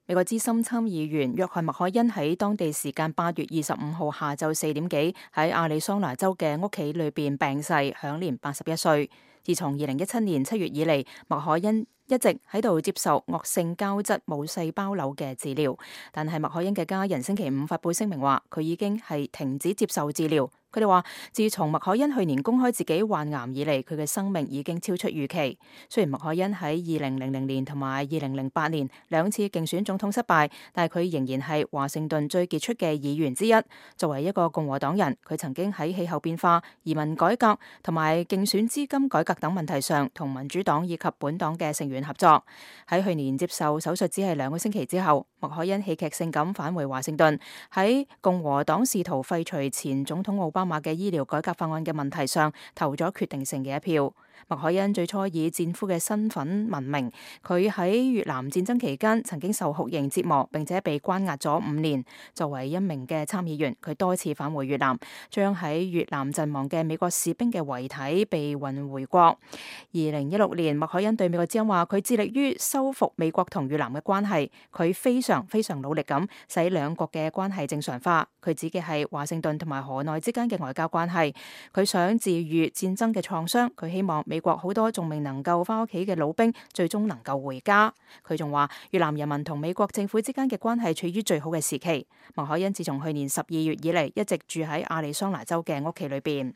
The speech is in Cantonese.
美國資深參議員約翰麥凱恩喺當地時間8月25號下晝4點幾喺亞利桑那州嘅屋企裏邊病逝，享年81歲。自從2017年7月以嚟，麥凱恩一直喺度接受惡性膠質母細胞瘤嘅治療，但係麥凱恩嘅家人星期五發布聲明話，佢已經係停止接受治療。佢哋話，自從麥凱恩去年公開自己患癌以嚟，佢嘅生命已經超出預期。雖然麥凱恩喺2000年同埋2008年兩次競選總統失敗，但係佢仍然係華盛頓最傑出嘅議員之一。作為一個共和黨人，佢曾經喺氣候變化、移民改革同埋競選資金改革等問題上同民主黨以及本黨嘅成員合作。喺去年接受手術只係2個星期之後，麥凱恩戲劇性咁返回華盛頓，喺共和黨試圖廢除前總統奧巴馬嘅醫療改革法案嘅問題上投咗決定性嘅一票。麥凱恩最初以戰俘嘅身份聞名，佢喺越南戰爭期間曾經受酷刑折磨，並且被關押咗5年。作為一名嘅參議員，佢多次返回越南，將喺越南陣亡嘅美國士兵嘅遺體被運回國。2016年，麥凱恩對美國之音話，佢致力於修復美國同越南嘅關係，佢非常努力咁使兩國嘅關係正常化。佢指嘅係華盛頓同埋河內之間嘅外交關係。佢想治癒戰爭嘅創傷，佢希望美國好多仲未能夠翻屋企嘅老兵最終能夠回家。佢仲話，越南人民同美國政府之間嘅關係處於最好嘅時期。麥凱恩自從去年12月以嚟，一直住喺亞利桑那州嘅屋企裏邊。